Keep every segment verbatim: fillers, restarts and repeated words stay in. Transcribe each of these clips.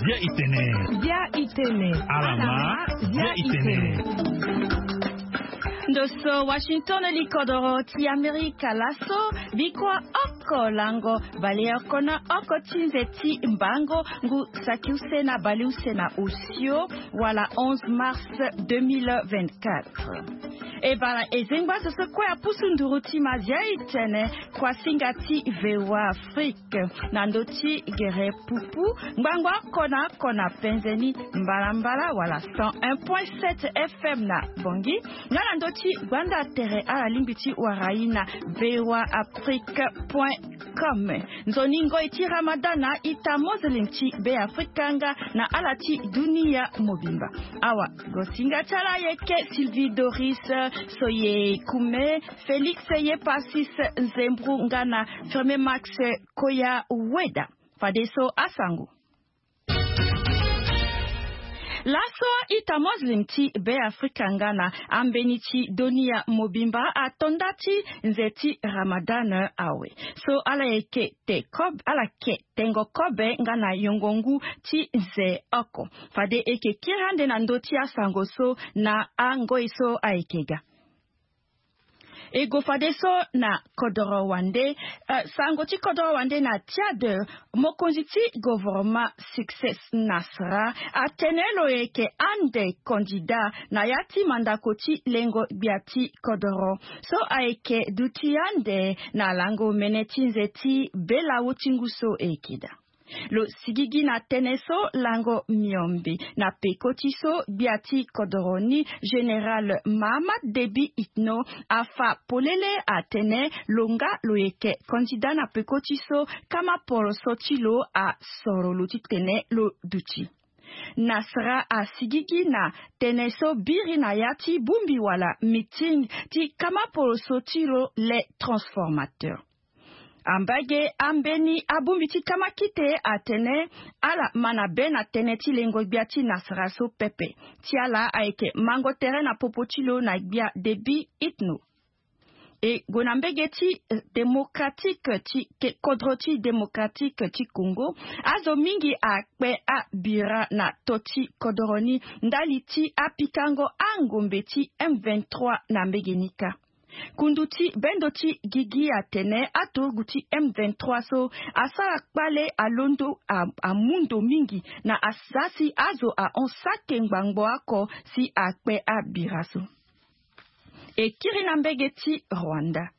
Bia itene. Bia itene. Alama. Bia itene. Ndo so Washington, likodoro ti Amerika laso. Bikua oko lango baleoko na oko ti nze ti mbango, ngu saki use na baleuse na osio, wala onze mars deux mille vingt-quatre. E bara ezengba so so kue apusu nduru ti mazia itene, kuasinga ti VOA Afrique na ndö ti gere pupu, ngbangba oko na oko na penze ni mbalambala, wala cent un point sept F M na Bangui, nga na ndö ti gbanda tere ala lingbi ti wara ye na VOA Afrique point com. Nzoni ngoi ti Ramadan na ita Muslim ti Be Afrika nga na ala ti dunia mobimba. Awa, gosinga ti ala ayeke Sylvie Doris, Soye Kume, Félix Yepasis Nzembru nga na Firme Max Koya Weda. Fadeso asango. Laso ita Muslim ti Be Afrika nga na ambeni ti dunia mobimba ato nda ti nze ti Ramadan awe. So ala yeke te kob-, ala ke tengo kobe nga na yongo ngu ti nze oko. Fade e ke kiri ande na ndö ti asango so na angoi so ayeke ga. E go fadeso na kodoro wande, eh, sango ti kodoro wande na Tchad, mokonzi ti gouvernement Succès Nasra atene lo yeke ande candidat na ya ti mandako ti lengo gbia ti kodoro. So ayeke duti ande na lango mene ti nze ti belawo ti ngu so e yeke daa. Lo sigigi na tënë so lango miombe na peko ti so gbia ti kodoro ni, Général Mahamat Déby Itno, afa polele atene lo nga lo yeke candidat na peko ti so kama poroso ti lo asoro lo titene lo duti. Nasra asigigi na tënë so biri na ya ti bongbi wala meeting ti kama poroso ti lo Les Transformateurs. Ambage ambeni abongbi ti kama kite atene ala ma na be na tënë ti lengo gbia ti Nasra so pepe. Ti ala ayeke mango tere na popo ti lo na gbia Déby Itno. E gue na mbege ti, eh, démocratique ti ke-, kodro ti démocratique ti Congo. Azo mingi akpe abira na to ti kodoro ni ndali ti apikango angombe ti M vingt-trois na mbege ni kâ. Kundu ti bendo ti gigi atene aturugu ti M vingt-trois so asara kpale alondo a-, amu ndo mingi na asasi azo ahon sake ngbangbo oko si akpe abira so. E kiri na mbege ti Rwanda.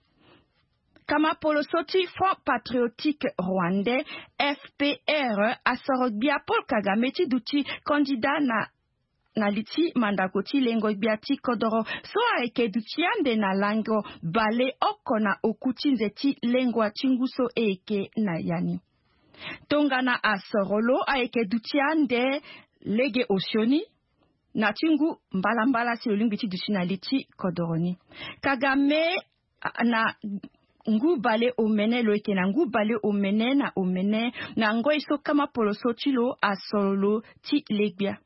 Kama poloso ti Front Patriotique Rwandais, F P R, asoro gbia Paul Kagame ti duti candidat na na li ti mandako ti lengo gbia ti kodoro so ayeke duti ande na lango bale oko na oku ti nze ti lengua ti ngu so e yeke na ya ni. Tongana asoro lo ayeke duti ande lege osioni na ti ngu mbalambala si lo lingbi ti duti na li ti kodoro ni. Kagame a-, na ngu bale omene, lo yeke na ngu bale omene na omene na ngoi so kama poloso ti lo asoro lo ti le gbia.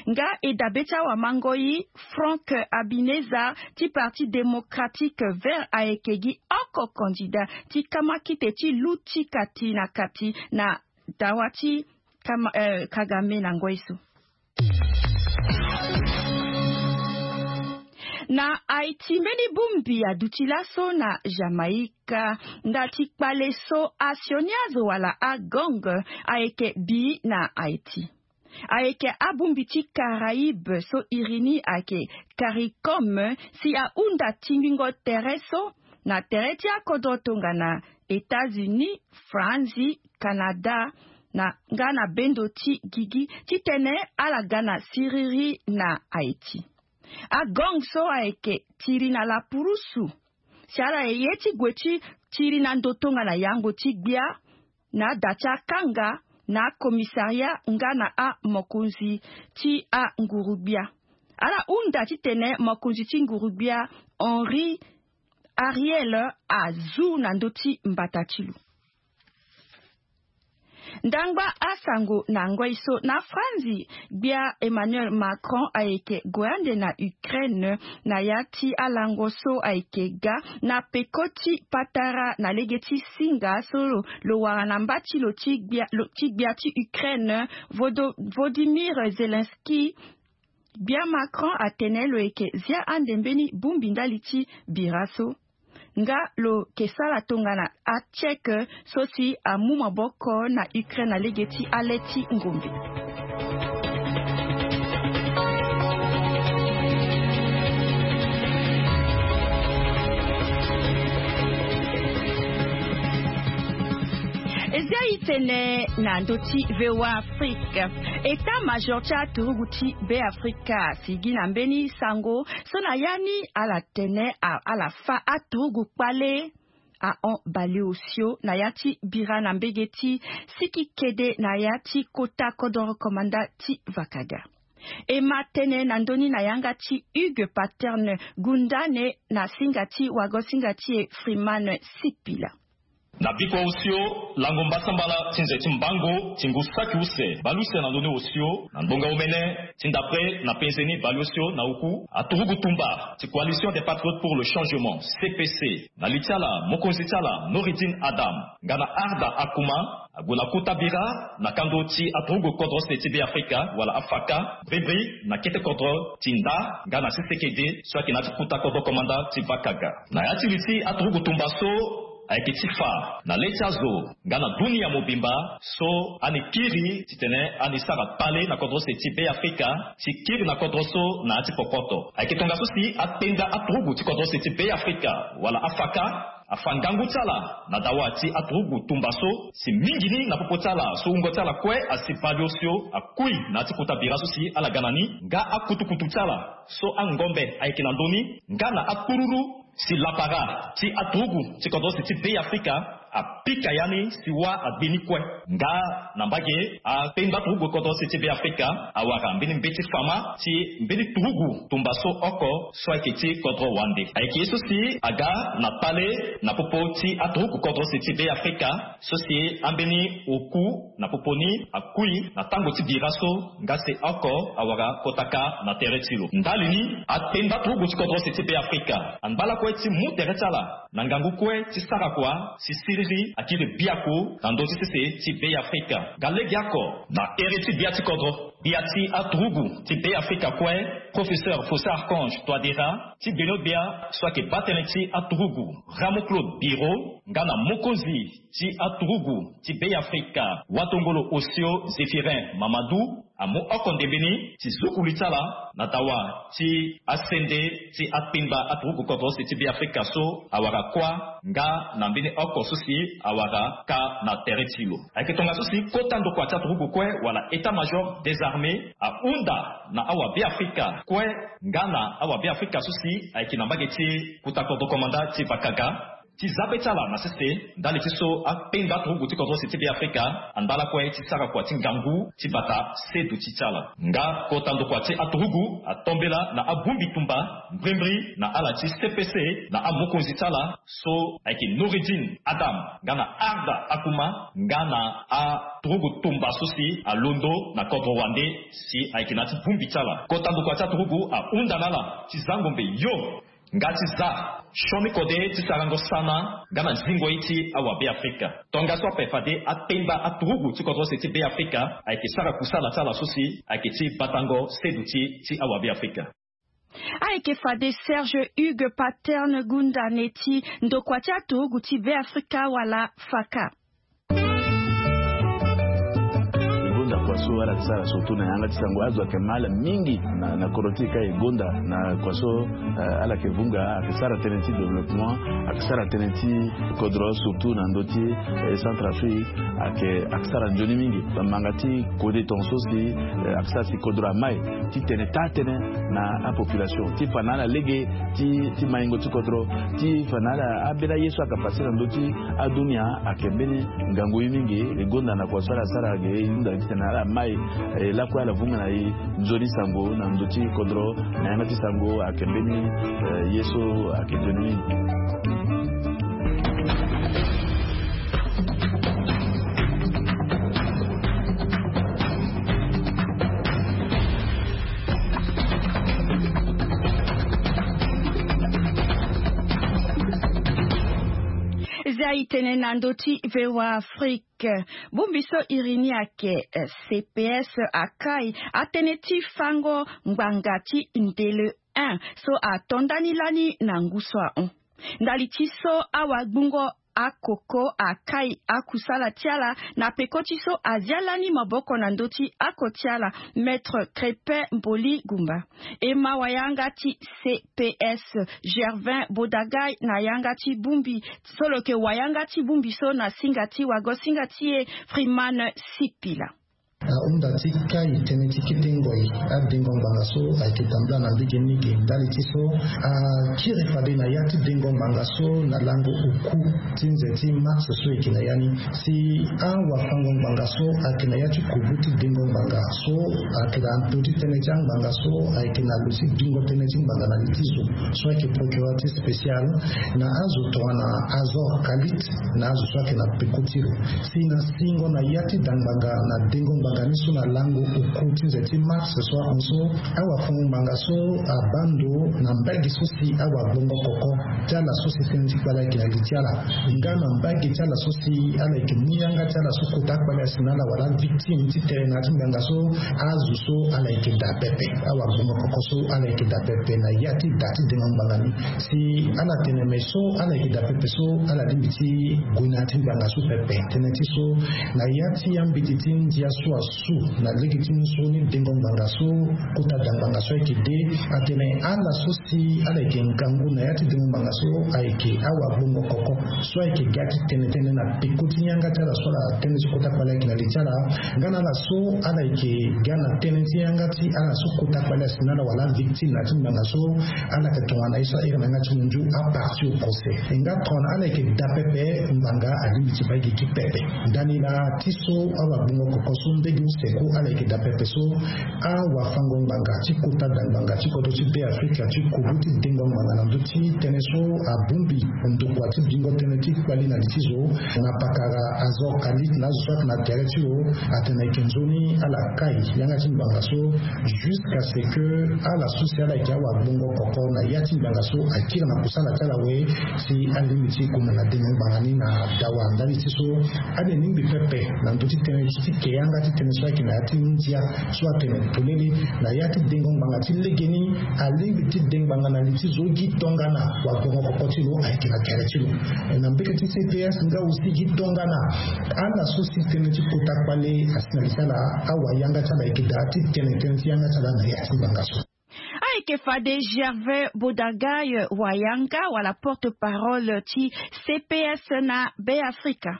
Nga e dabe ti awamangoi, Franck Habineza ti Parti Démocratique Vert ayeke gi oko candidat ti kama kite ti lu ti kati na kati na dawa ti kama, eh, Kagame na ngoi so. Na Haïti, mbeni bongbi aduti laso na Jamaïque, nda ti kpale so asioni azo wala agang ayeke bi na Haïti. Ayeke abongbi ti Caraïbe so iri ni ayeke CARICOM si ahunda tingbingo tere so na tere ti akodro tongana États-Unis, Franzi, Canada, na nga na bendo ti gigi titene ala ga na siriri na Haïti. Agang so ayeke tiri na lapurusu si ala ye ti gue ti tiri na ndo tongana yango ti gbia na ada ti akanga na akomisaria nga na amokonzi ti anguru-gbia. Ala hunda titene mokonzi ti nguru-gbia Henri Ariel azu na ndö ti mbata ti lo. Ndangba asango na ngoi so na Franzi, gbia Emmanuel Macron ayeke gue ande na Ukraine na ya ti alango so ayeke ga na peko ti patara na lege ti singa so lo, lo wara na mba ti lo ti gbia, lo, ti gbia ti Ukraine, Vodo-, Volodymyr Zelensky. Gbia Macron atene lo yeke zia ande mbeni bongbi ndali ti bira so. Nga lo ke sara tongana achèque so si amu maboko na Ukraine na lege ti ale ti ngombe. Ezia itene na ndö ti V O A Afrique. État-major ti aturugu ti Beafrika asigi na mbeni sango so na ya ni ala tene a-, ala fa aturugu kpale ahon baleosio na ya ti bira na mbege ti siki kede na ya ti kota kodoro komanda ti Vakaga. E ma tene na ndö ni na yanga ti Hugues Paterne Gundane na singa ti wago-singa ti e Freeman Sipila. Na bikua osio, lango mbasambala ti nze ti mbango ti ngu saki use baleuse na ndö ni osio na ndonga omene ti ndapre na penze ni baleosio na oku aturugu tumba ti Coalition des Patriotes pour le Changement, C P C, na li ti ala mokonzi ti ala Noureddine Adam nga na Arda Akouma, ague na kota bira na kando ti aturugu kodro se ti Beafrika wala afaka, bribri na kete kodro ti Nda nga na Sesekede so ayeke na ya ti kota kodro komanda ti Vakaga. Na ya ti li ti aturugu tumba so ayeke ti fa na le ti azo nga na dunia mobimba so ani kiri titene ani sara kpale na kodro se ti Beafrika ti kiri na kodro so na ya ti popoto. Ayeke tongaso si akpenda aturugu ti kodro se ti Beafrika wala afaka afa ngangu ti ala na dawa ti aturugu tumba so si mingi ni na popo ti ala so wungo ti ala kue asi baleosio akui na ya ti kota bira so si ala ga na ni nga akutukutu ti ala so angombe ayeke na ndö ni nga na akpululu si lapara ti aturugu ti kodro se ti Beafrika apika ya ni si wâ agbe ni kue. Nga na mbage akpengba aturugu kodro se ti Beafrika awara mbeni mbeti fama ti mbeni turugu tumba so oko so ayeke ti kodro wande. Ayeke ye so si aga na kpale na popo ti aturugu kodro se ti Beafrika so si ambeni oku na popo ni akui na tango ti bira so nga se oko awara kota kâ na tere ti lo. Ndali ni, akpengba turugu ti kodro se ti Beafrika angba lakue ti mu tere ti ala na ngangu kue ti sara kua si siriri akiri biaku na ndö ti sese ti Beafrika. Nga legeoko na here ti gbia ti kodro, gbia ti aturugu ti Beafrika kue, Professeur Faustin Archange Touadéra, ti gbeno-gbia so ayeke baa tënë ti aturugu, Rameau Claude Biro, nga na mokonzi ti aturugu ti Beafrika, watongolo osio Zéphirin Mamadou, amu oko ndembe ni ti zukuli ti ala na dawa ti asende ti akpengba aturugu kodro se ti Beafrika so awara kuâ nga na mbeni oko so si awara kâ na tere ti lo. Ayeke tongaso si kota ndokua ti aturugu kue wala état-major des armées ahunda na awa Beafrika kue nga na awa Beafrika so si ayeke na mbage ti kota kodro komanda ti Vakaga ti za be ti ala na sese ndali ti so akpengba turugu ti kodro se ti Beafrika angba lakue ti sara kua ti ngangu ti bata seduti ti ala. Nga kota ndokua ti aturugu atombela na abongbi tumba mbrimbri na ala ti C P C na amokonzi ti ala so ayeke Noureddine Adam nga na Arda Akouma nga na aturugu tumba so si alondo na kodro wande si ayeke na ya ti bongbi ti ala. Kota ndokua ti aturugu ahunda na ala ti za ngombe yo nga ti za sioni kode ti sarango sana nga na zingo ye ti awa Beafrika. Tongaso ape fade akpengba aturugu ti kodro se ti Beafrika ayeke sara kusala ti ala so si ayeke ti batango seduti ti awa Beafrika. Ayeke fade Serge Hugues Paterne Gundane ti ndokua ti aturugu ti Beafrika wala faka. E gonda kua so ala yeke sara surtout na yanga ti sango. Azo ayeke mal mingi na, na kodro ti e ka e gonda na kua so, eh, ala yeke vunga, ayeke sara tënë ti développement, ayeke sara tënë ti kodro surtout na ndö ti, eh, Centrafrique, ayeke, ayeke sara nzoni mingi. Bamanga ti kode tongaso si, eh, ayeke sara si kodro amai ti tene taa tënë na apopulation ti fa na ala lege ti, ti maingo ti kodro, ti fa na ala ambeni aye so ayeke pase na ndö ti adunia. Ayeke mbeni ngangu ye mingi. E gonda na kua so ala sara ge, e hunda titene ala mai, eh, lakue ala vunga na e nzoni sango na ndö ti kodro na yanga ti sango. Ayeke mbeni, eh, ye so ayeke nzoni mingi. Nde ayi tënë na ndö ti voa afrique. Bongbi so iri ni ayeke cps akai atënë ti fango ngbanga ti ndele un so ato ndani lani na ngu so ahon. Ndali ti so awagbungo akoko akai akusala ti ala na peko ti so azia lani maboko na ndö ti ako ti ala, maître crépin mboli gumba. E ma wayanga ti cps gervin bodagai na yanga ti bongbi so lo yeke wayanga ti bongbi so na singa ti wago singa ti e. Freeman sipila. Ahunda ti kai tënë ti kete ngoi adengo ngbanga so ayeke tambula na ndege mingi ndali ti so akiri fade na ya ti dengo ngbanga so na lango oku ti nze ti mars so eke na ya ni. Si awafango ngbanga so ayeke na ya ti kubu ti dengo ngbanga so ayeke na ndö ti tënë ti angbanga so ayeke na lo ti bingo tënë ti ngbanga na li ti zo so ayeke procureur ti spécial na azo tongana azor kalit na azo so ayeke na peko ti lo. Si na singo na ya ti da ngbanga na dengo ngbanga ni so na lango oku ti nze ti mars so ahon so awafango ngbanga so abaa ndo na mbage so si awagbongo koko ti ala so si tënë ti kpale ayeke na li ti ala nga na mbage ti ala so si ala yeke mu yanga ti ala so kota akpale asi na ala wala avictime ti tene na ya ti ngbanga so azo so ala yeke daa pepe. Awagbongo koko so ala yeke daa pepe na ya ti da ti dengo ngbanga ni. Si ala tene me so ala yeke daa pepe so ala lingbi ti gue na ya ti ngbanga so pepe tënë ti so na ya ti ambeti ti ndia so asu na lege ti ni so ni dengo ngbanga so kota da ngbanga so ayeke de atene ala so si ala yeke ngangu na ya ti dengo ngbanga so ayeke awagbongo koko so ayeke ga ti tene tënë na peko ti yanga ti ala so ala tënë ti kota kpale ayeke na li ti ala. Nga na ala so ala yeke ga na tënë ti yanga ti ala so kota kpale asi na ala wala avictime na ya ti ngbanga so ala yeke tongana ye so ahiri na yanga ti munzu aparti au procès. E nga tongana ala yeke daa pepe ngbanga alingbi ti baa gi ti pepe. Ndani laa ti so awagbongo koko so ndege use ku ala yeke daa pepe so awafango ngbanga ti kota da ngbanga ti kodro ti beafrika ti kubu ti dengo ngbanga na ndö ti tënë so abongbi ndokua ti bingo tënë ti kpali na li ti zo na pakara azor kalit na azo so ayeke na tere ti lo atene ayeke nzoni ala kai yanga ti ngbanga so jusqu'à ce que ala so si ala yeke awagbongo koko na ya ti ngbanga so akiri na kusala ti ala we si alingbi ti koma na dengo ngbanga ni na dawa ndali ti so ade ningbi pepe na ndö ti tënë ti ti ke yanga ti tënë so ayeke na ya ti ndia so atene polele na ya ti dengo ngbanga ti legeni alingbi ti de ngbanga na li ti zo gi tongana wagbongo koko ti lo ayeke na tere ti lo. Na mbeke ti cps nga aussi gi tongana ala so si tënë ti kota kpale asi na li ti ala awayanga ti ala ayeke daa ti tene tënë ti yanga ti ala na ya ti ngbanga so. Ayeke fade gervais bodagai wayanga wala porte-parole ti cps na beafrika.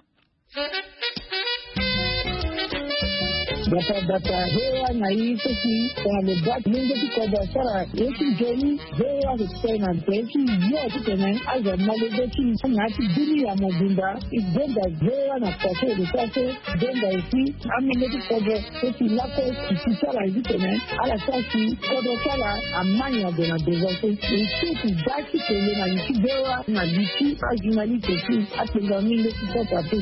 Bata bata he wa na yi seki tongana lo bati lenge ti kodro asara ye ti joni. He wa ke tene na te ti yo ti tene azo malege ti na ti bini ya mobimba. E benda he wa na pase de sase benda esi amenge ti kodro. Seki lako ti ti sara ye ti tene ala sara si kodro ti ala amani ade na devance. E seki da ti tene na li ti he wa na li ti ajournaliste ti atenga mingi ti sota te.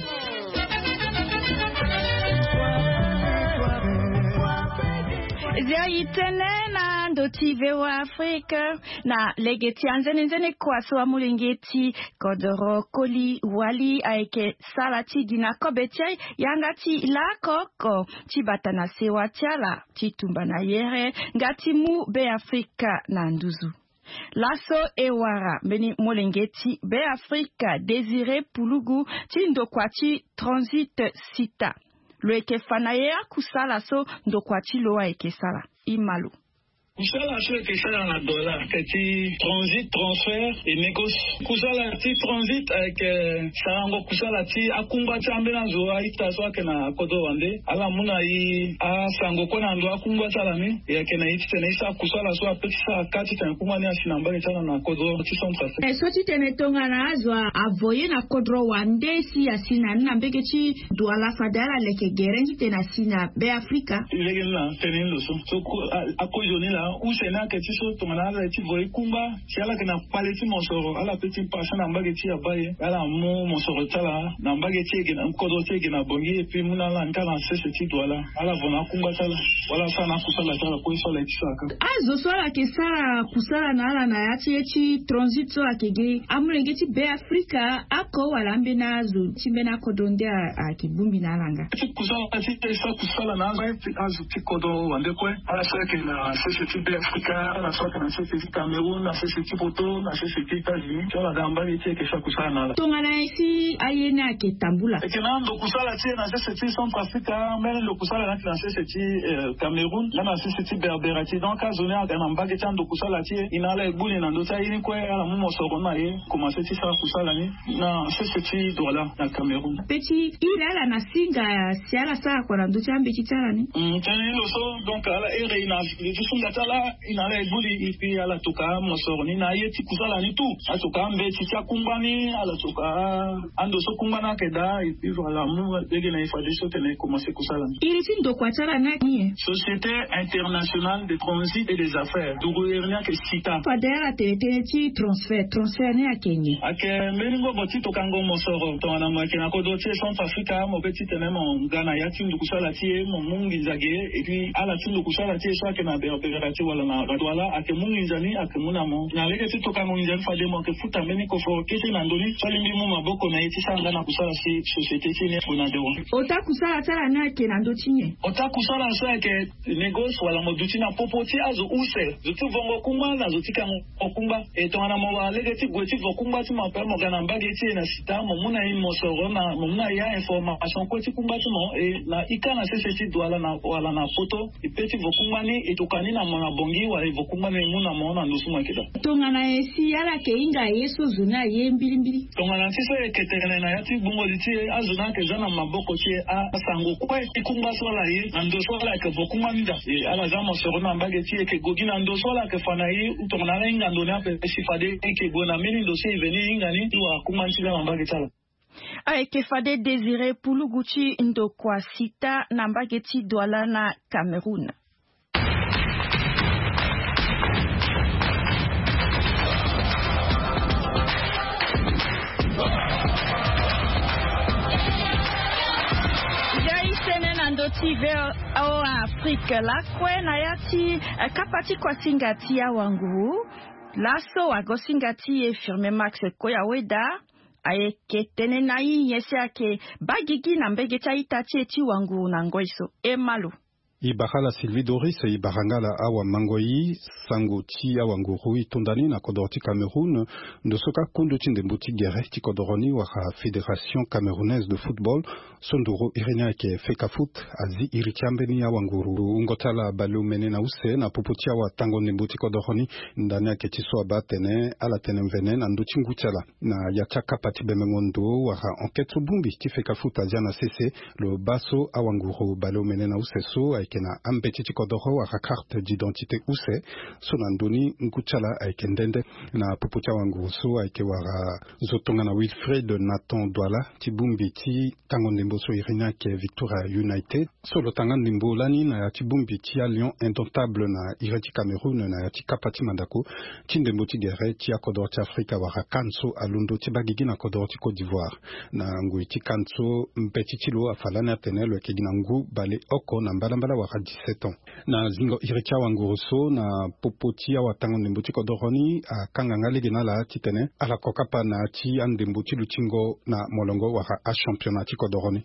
Zia yi tënë na ndo ti voa afrique. Na lege ti anzenenzene kua so amolenge ti kodoro koli wali ayeke sala ti gi na kobe ti ai yanga ti laoko oko ti bata na sewa ti ala ti tumba na yere nga ti mu beafrika na nduzu. Laso e wara mbeni molenge ti beafrika désiré pulugu ti ndokua ti transit sita. Lo yeke fa na ye akusala so ndokua ti lo ayeke sara. Ima lo. Kusala so eke sara na dola eke ti transit transfert e meko. Kusala ti transit ayeke sarango kusala ti akungba ti ambeni azo a-ita so ayeke na kodro wande. Ala mu na e asango kue na ndo akungba ti ala ni. E yeke na e titene e sara kusala so ape ti sara ka titene akungba ni asi na mbage ti ala na kodro ti centre afrique. So titene tongana azo avo ye na kodro wande si asi na ni na mbage ti duala fade ala leke gere titene asi na be afrika. Lege ni na tene ni lo so so akozoni laa. Use ni ayeke ti so tongana ala ye ti vo ye kungba si ala yeke na kpale ti mosoro, ala pe ti pase na mbage ti abaye, ala mu mosoro ti ala na mbage ti e ge na kodro ti e ge na bongi, epui mu na ala nga na sese ti Douala, ala vo na akungba ti ala wala asara na akusala ti ala kue so ala ye ti sara kâ. Azo so ala yeke sara kusala na ala na ya ti ye ti transit so ayeke ge, amolenge ti Be Afrika oko wala ambeni azo ti mbeni akodro nde ayeke bongbi na ala nga? Ti kusala ti e sa kusala na azo ti kodro wande kue, ala so ayeke na sese ti Be Afrika, ala so ayeke na sese ti Cameroun, na sese ti Poto, na sese ti États-Unis, so ala ga mbage ti e yeke sa kusala na ala. Tongana nyen si aye ni ayeke tambula? Eke na ando kusala ti e na sese ti Centrafrique, mbeni ndo kusala ni ayeke na sese ti Cameroun nga na sese ti Berbera ti. Donc azo ni aga na mbage ti ando kusala ti e, e na ala e gbu ni na ndö ti aye ni kue, ala mu mosoro na ye komanse ti sara kusala ni na sese ti Douala na Cameroun. Pe ti iri ala na singa si ala sara kua na ndö ti ambeti ti ala ni. Tënë ni lo so, donc ala iri na lo ti sunga ti ala, e na ala e gbu li, epui ala toka mosoro ni na aye ti kusala ni tout, ala toka ambeti ti akungba ni, ala toka ando so kungba ni ayeke daa, epui ala mu lege na e fadeso tene e komanse kusala ni. Iri ti ndokua ti ala ni ayeke nyen? Société Internationale de Transit et des Affaires, nduru iri ni ayeke SITA. Fade ala tene tënë ti transfert, transfert ni ayeke nyen? Ayeke mbeni ngobo ti tokango mosoro tongana mo yeke na kodro ti e Centrafrique, mo pe ti tene mo nga na ya ti ndukusala ti e, mo mu nginza ge, epui ala ti ndukusala ti e so ayeke na Berbera ti wala na Douala ayeke mu nginza ni, ayeke mu na mo na lege ti tokango nginza ni fade mo yeke futa mbeni koforo kete na ndö ni so alingbi mu maboko na e ti sara nga na kusala si société ti e ni ague na dewa. Ota kusala ti ala ni ayeke na ndö ti nyen? Ota kusala so ayeke négoce wala mo duti na popo ti azo use, zo ti vongo kungba na zo ti kango kungba. E tongana mo wara lege ti gue ti vo kungba ti mo ape, mo ga na mbage ti e na SITA, mo mu na e mosoro, na mo mu na e a-information kue ti kungba ti mo, e na ika na sese ti Douala na wala na Poto, e pe ti vo kungba ni, e toka ni na mo na bongi wala e vo kungba ni e mu na mo na ndo so mo yeke daa. Tongana nyen si ala yeke hinga ye so zo ni aye mbilimbili? Tongana ti so e yeke tene na ya ti gbungo li ti e, azo ni ayeke za na maboko ti e, asango kue ti kungba so ala ye na ndo so ala yeke vo kungba ni daa. E ala za mosoro na mbage ti e, e yeke gue gi na ndo so ala yeke fa na e, tongana ala hinga ndo ni ape si fade e yeke gue na mbeni ndo so e veni e hinga ni ti wara kungba ni ti za na mbage ti ala. Ayeke fade Désiré Pulugu ti ndokua SITA na mbage ti Douala na Cameroun. Ngai sene na ndö ti V O A Afrique lakue na ya ti, eh, kapa ti kuasinga ti awanguru. Laso wagosinga ti e Firme Max Koyaweda ayeke tene na i nyen si ayeke baa gigi na mbege ti a-ita ti e ti wanguru na ngoi so. E ma lo. E bara ala Sylvie Doris, e bara nga ala awamango-i. Sango ti awanguru e tonda ni na kodoro ti Cameroun, ndo so kâ kundu ti ndembo ti gere ti kodoro ni wala Fédération Camerounaise de Football, so nduru iri ni ayeke FECAFOOT, azi iri ti ambeni awanguru wungo ti ala baleomene na use na popo ti awatango ndembo ti kodoro ni. Ndani ayeke ti so abaa atene ala tene mvene na ndö ti ngu ti ala na ya ti akapa ti bembengo ndo wala enquête so bongbi ti FECAFOOT azia na sese. Lo baa so awanguru baleomene na use so ayeke na ambeti ti kodoro wala carte d'identité use, so na ndö ni ngu ti ala ayeke nde nde. Na popo ti awanguru so ayeke wara zo tongana Wilfried Nathan Douala ti bongbi ti tango ndembo so iri ni ayeke Victoria United, so lo tanga ndembo lani na ya ti bongbi ti aLion Indomptable na iri ti Cameroun na ya ti kapa ti mandako ti ndembo ti gere ti akodoro ti Afrika wala CAN so alondo ti baa gigi na kodoro ti Côte d'Ivoire. Na ngoi ti CAN so mbeti ti lo afa lani atene lo yeke gi na ngu baleoko na mbalambala wala dix-sept ans. Na zingo iri ti awanguru so na popo ti awatango ndembo ti kodoro ni akanga nga lege na ala titene ala ko kapa na ya ti andembo ti lutingo na molongo wala achampionnat ti kodoro ni.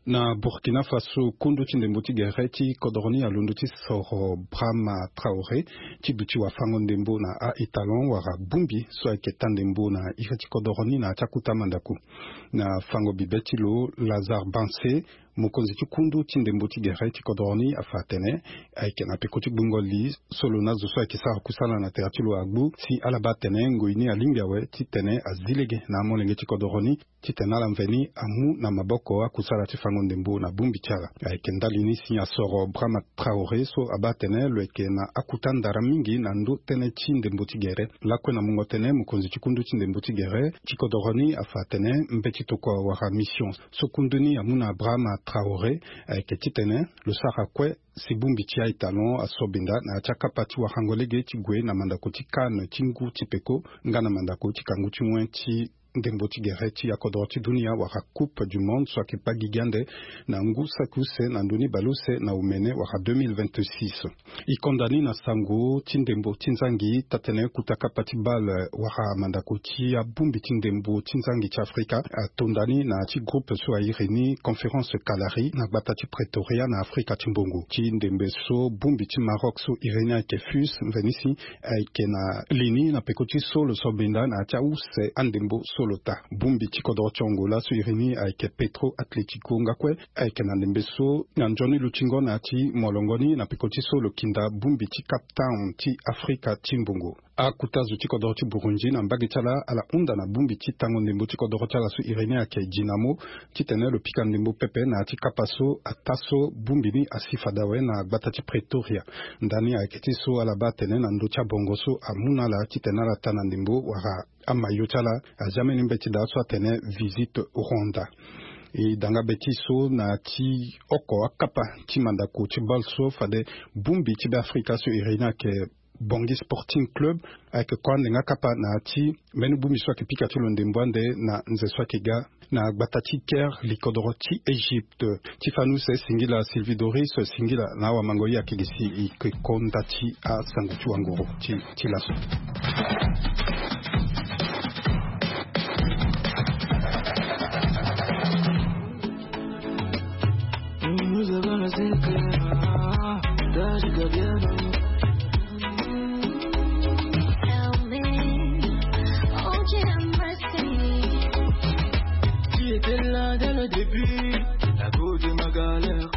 Na Burkina Faso, kundu ti ndembo ti gere ti kodoro ni alondo ti soro Brahma Traoré ti duti wafango ndembo na a-étalon wala bongbi so ayeke taa ndembo na iri ti kodoro ni na ya ti akuta mandako. Na fango bibe ti lo, Lazare Bansé, mokonzi ti kundu ti ndembo ti gere ti kodoro ni afa atene ayeke na peko ti gbungo li so lo na zo so ayeke sara kusala na tere ti lo agbu si ala baa atene ngoi ni alingbi awe titene azi lege na amolenge ti kodoro ni titene ala mveni amu na maboko akusala ti fango ndembo na bongbi ti ala. Ayeke ndali ni si asoro Brahma Traoré so abaa atene lo yeke na akuta ndara mingi na ndö tënë ti ndembo ti gere. Lakue na mungo tënë, mokonzi ti kundu ti ndembo ti gere ti kodoro ni afa atene mbeti tokua wala mission so kundu ni amu na Brahma Traoré, ayeke titene lo sara kue si bongbi ti aita lo asobenda na ya ti akapa ti warango lege ti gue na mandako ti CAN ti ngu ti peko nga na mandako ti kangu ti wen ti ndembo ti gere ti akodoro ti dunia wala Coupe du Monde so ayeke kpa gigi ande na ngu saki use na ndö ni baleuse na omene wala deux mille vingt-six. E konda ni na sango ti ndembo ti nzangi tatene kuta kapa ti bale wala mandako ti abongbi ti ndembo ti nzangi ti Afrika atonda ni na ya ti groupe so airi ni Conférence Kalari na gbata ti Pretoria na Afrika ti mbongo. Ti ndembe so bongbi ti Maroc so iri ni ayeke FUS mveni si ayeke na li ni na peko ti so lo so benda na ya ti ause andembo so lo ta. Bongbi ti kodoro ti Angola so iri ni ayeke Petro Atlético nga kue ayeke na ndembe so na nzoni lutingo na ya ti molongo ni na peko ti so lo kinda bongbi ti Cape Town ti Afrika ti mbongo. Akuta zo ti kodoro ti Burundi na mbage ti ala ala hunda na bongbi ti tango ndembo ti kodoro ti ala so iri ni ayeke Dinamo titene lo pika ndembo pepe na ya ti kapa so ata so bongbi ni asi fade awe na gbata ti Pretoria. Ndani ayeke ti so ala baa atene na ndö ti abongo so amu na ala titene ala ta na ndembo wala amayo ti ala azi ambeni mbeti daa so atene Visit Rwanda. E danga be ti so na ya ti oko akapa ti mandako ti bale so fade bongbi ti Beafrika so iri ni ayeke Bangui Sporting Club ayeke ko ande nga kapa na ya ti mbeni bongbi so ayeke pika ti lo ndembo ande na nze so ayeke ga na gbata ti Caire, likodoro ti Égypte. Ti fani use singila Sylvie Doris, singila na awamango ye ayeke gi si e yeke ko nda ti asango ti wanguru ti ti laso. Nous avons la ceinture, t'as du gardien. Tu étais là dès le début, la go de ma galère.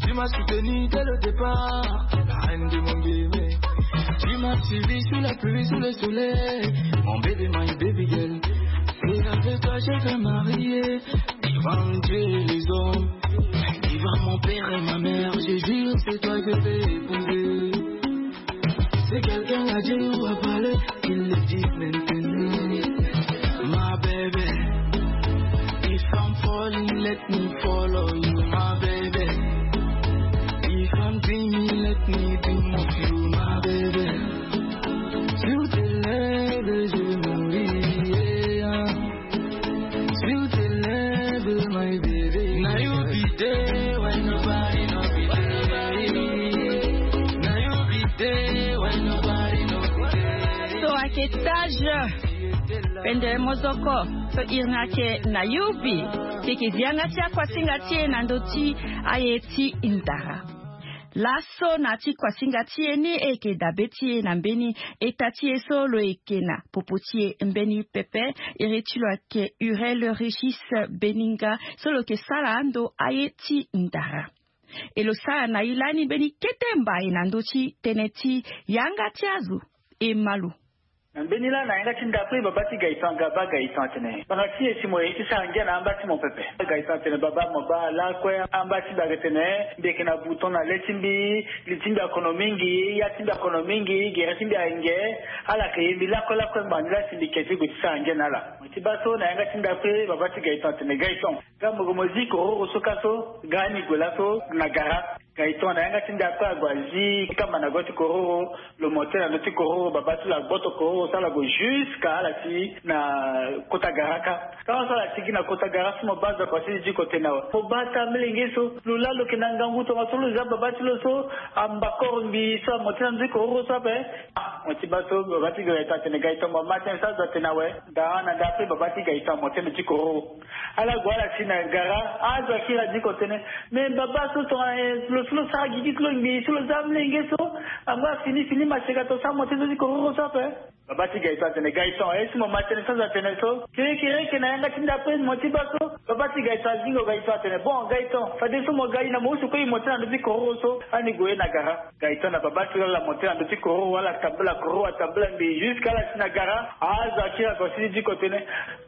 Tu m'as soutenu dès le départ, la reine de mon bébé. Tu m'as suivi sous la pluie, sous le soleil. Mon baby, my baby girl. C'est avec toi je vais marier. Devant Dieu et les hommes, devant mon père et ma mère, je jure, c'est toi que je vais épouser. Si quelqu'un a dit ou a parlé, qu'il le dise maintenant. My baby, if I'm falling, let me follow you, my baby. If I'm dreaming, let me dream of you, my baby. Sur tes lèvres, je mourrai. Sur tes lèvres, my baby. Now you be there when nobody, nobody. Now you be there when nobody, nobody. So ayeke Taj Pende Mozoko, so iri ni ayeke na yubi. Ti yeke zi yanga ti akuasinga ti e na ndö ti aye ti ndara. Laso na ti kuasinga ti e ni e yeke dabe ti e na mbeni eta ti e so lo yeke na popo ti e mbeni pepe. Iri ti lo ayeke Urel Régis Beninga so lo yeke sara ando aye ti ndara. E lo sara na e lani mbeni kete mbai na ndö ti tënë ti yanga ti azo e ma lo. Na mbeni laa na yanga ti ndapre baba ti Gaëtan, Gaba Gaëtan atene, banga ti e si mo ye ti sara ngia na amba ti mo pepe. Gaëtan atene, baba, mo baa lakue amba ti mbi ayeke tene mbi yeke na bouton na le ti mbi, li ti mbi akono mingi, ya ti mbi akono mingi, gere ti mbi ayeke nge. Ala yeke ye mbi lakue lakue ngbanga ni laa si mbi ke ti gue ti sara ngia na ala. Mo ti baa so na yanga ti ndapre baba ti Gaëtan atene, Gaëtan, nga mo gue mo zi kororo so kâ so, nga ni gue laso na gara. Gaëtan na yanga ti ndapre ague azi kamba na go ti kororo. Lo monte na ndö ti kororo, baba ti lo agboto kororo so ala gue jusqu'à ala ti na kota gara kâ. Tara so ala ti gi na kota gara so mo baa azo akua ti diko tene awe. Mo baa ata amolenge so, lo laa lo yeke na ngangu tongaso lo za baba ti lo so amba koro ngbii so amonte na ndö ti kororo so ape. Ah, mo ti baa so baba ti Gaëtan atene, Gaëtan, mo ma tënë so azo atene awe. Daa na ndapre baba ti Gaëtan amonte na ndö ti kororo. Ala gue ala si na gara, azo akiri adiko tene, me baba so tongana lo so lo sara gigi ti lo ngbii so lo za amolenge so, angba fini fini maseka to so amonte na ndö ti kororo so ape. Baba ti Gaëtan atene, Gaëtan, e si mo ma tënë so azo atene so? Kirikiri e yeke na yanga ti ndapre mo ti baa so. Baba ti Gaëtan azingo Gaëtan atene, bon Gaëtan, fadeso mo ga e na mo use kue e monte na ndö ti kororo so, ani gue na gara. Gaëtan na baba ti lo ala monte na ndö ti kororo, ala tambula kororo, atambula ngbii jusqu'à ala si na gara. Azo akiri akua ti diko tene,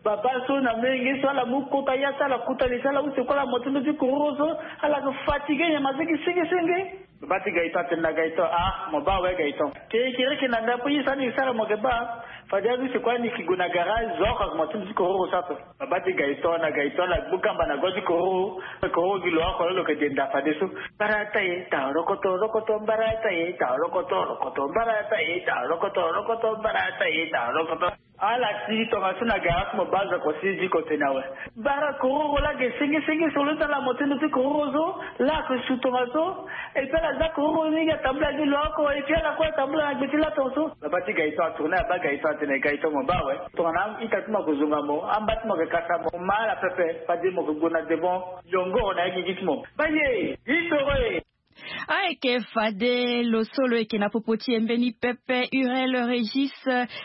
baba so na amolenge so ala mu kota ya so ala kuta li so ala use kue ala monte ndö ti kororo so, ala yeke fatigué nyama so gi senge senge. Baba ti Gaëtan atene na Gaëtan, ah, mo baa awe Gaëtan. Kirikiri e yeke na ndapre ye so ani sara mo yeke baa. Fade aduti kue ni ki gue na garage zo oko ague mo ti mo ti kororo so ape. Babâ ti Gaëtan na Gaëtan na gbu kamba na go ti kororo. Kororo gi lo oko lo lo yeke denda fadeso. Mbarata e ta rokoto rokoto mbarata e ta rokoto rokoto mbarata e ta rokoto rokoto mbarata e ta rokoto. Ala ti tongaso na garage mo bâ zo oko si diko tene awe. Bara kororo laa ge senge senge so lo ti ala mo ti ndo ti kororo so. Laa ake su tongaso. Et puis ala za kororo ni ge atambula ni lo oko et puis ala kue atambula na gbe ti laa tongaso. Babâ ti Gaëtan atourne abâ Gaëtan atene Gaëtan mo bâ awe. Tongana a-ita ti mo ake zonga mo, amba ti mo ake kasa mo, mo ma ala pepe fade mo ke gue na devant. Yongoro na ye gigi ti mo. Bâ ye. Itoro e. Ayeke fade lo so lo yeke na popo ti e mbeni pepe Urel Régis.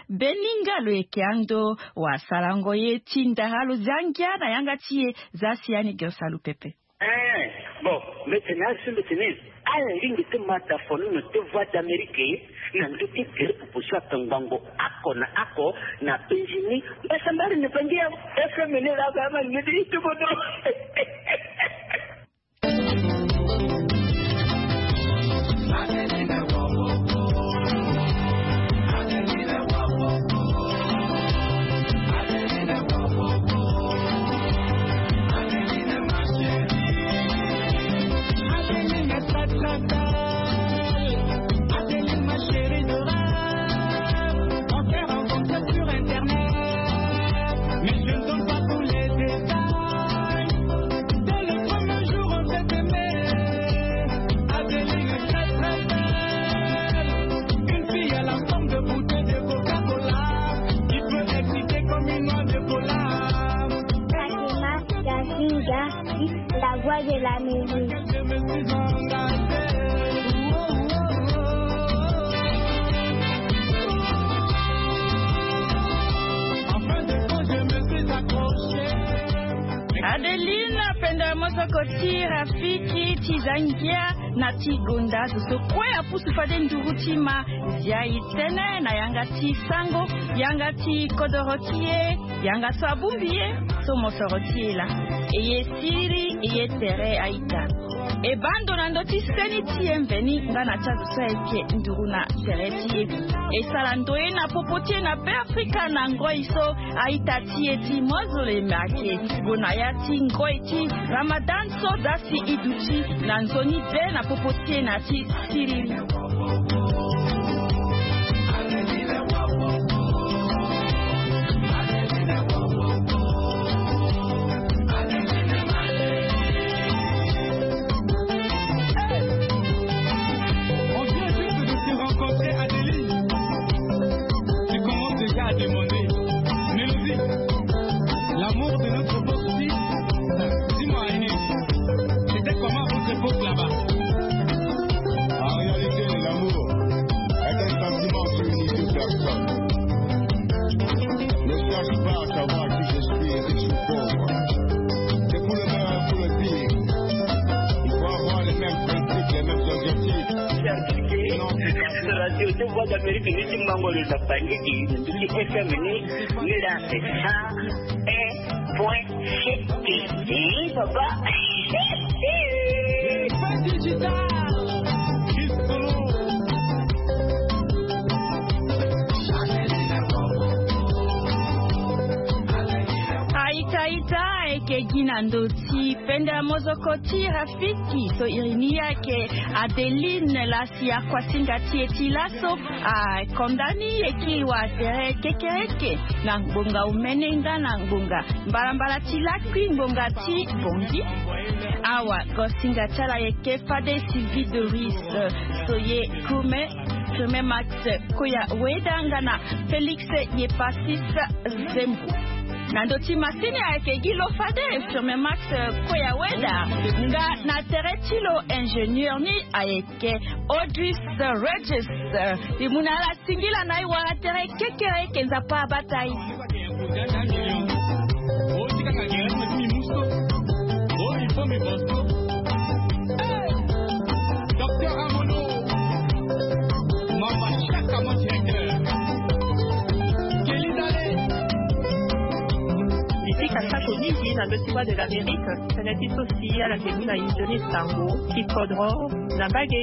Beninga lo yeke ando wasalango ye ti ndara lo zia ngia na yanga ti e. Za si ani ge osalu pepe. Eh, bon, mbetene asu mbetene. Ala lingbi ti ma da fonono ti Voix d'Amérique na ndö ti gere popo so atongbango ako na ako na benzini. Mbasambari ne bangi ya F M ne la ga ma ne di tubodo. Fatima Gazinga, la voix de la musique. Adeline, penda mosoko ti Rafiki ti za ngia na ti gonda zo so kue apusu fade nduru ti ma. Zia e tene na yanga ti sango, yanga ti kodoro ti e, yanga so abongbi e, so mosoro ti e laa. E ye siriri, e ye tere a-ita. E baa ndo na ndö ti seni ti e mveni nga na ti azo so ayeke nduru na tere ti e. E sara ndoye na popo ti e na Beafrika na ngoi so a-ita ti e ti mozoleme ayeke gue na ya ti ngoi ti Ramadan so za si e duti na nzoni be na popo ti e na ti siriri. On vient juste de se rencontrer, Adeline. Tu commences déjà à demander. Mélodie, l'amour de notre époque, si, dis-moi, Aîné, c'était comment votre époque là-bas ? En réalité, l'amour est un sentiment qui unit deux personnes. Ne cherche pas à savoir qui je suis, riche ou pauvre. C'est pour le meilleur, pour le pire. Il faut avoir les mêmes principes, les mêmes objectifs. Sinon, c'est pas... Radio de Voix d'Amérique, ni ti mango le tapangiki, ni F M ni, ni la, c'est ça. Un point sept. Eh, papa. Pas digital. A-ita, a-ita, ayeke gi na ndö ti penda mozoko ti Rafiki so iri ni ayeke Adeline laa si akuasinga ti e ti laso akonda ni e kiri wa tere kekereke na ngbonga omene nga na ngbonga mbalambala ti lakui ngbonga ti bongi. Awa gosinga ti ala ayeke fade Sylvie Doris, so ye Krume, Krume Max Koya Weda nga na Félix Yepasis Zembo. Na ndö ti masini ayeke gi lo fade Firme Max Koya Weda nga na tere ti lo ingénieur ni ayeke Odris Regis. E mu na ala singila na e wala tere kekereke, Nzapa abata e. Ici Kasako Niki na ndö ti Voix de l'Amérique, tënë ti so si ala ke mu na e nzoni sango ti kodro. Na mbage,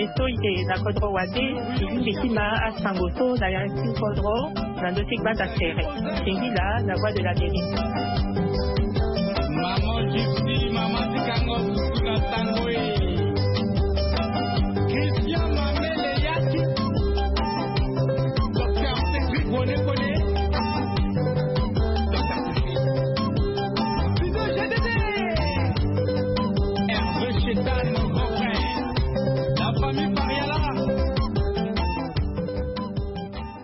e so e na kodro wande e lingbi ti ma asango so na ya ti kodro na ndö ti gbanda tere. Singila na Voix de l'Amérique. Maman Gypsy, maman ti kango susu na tango e.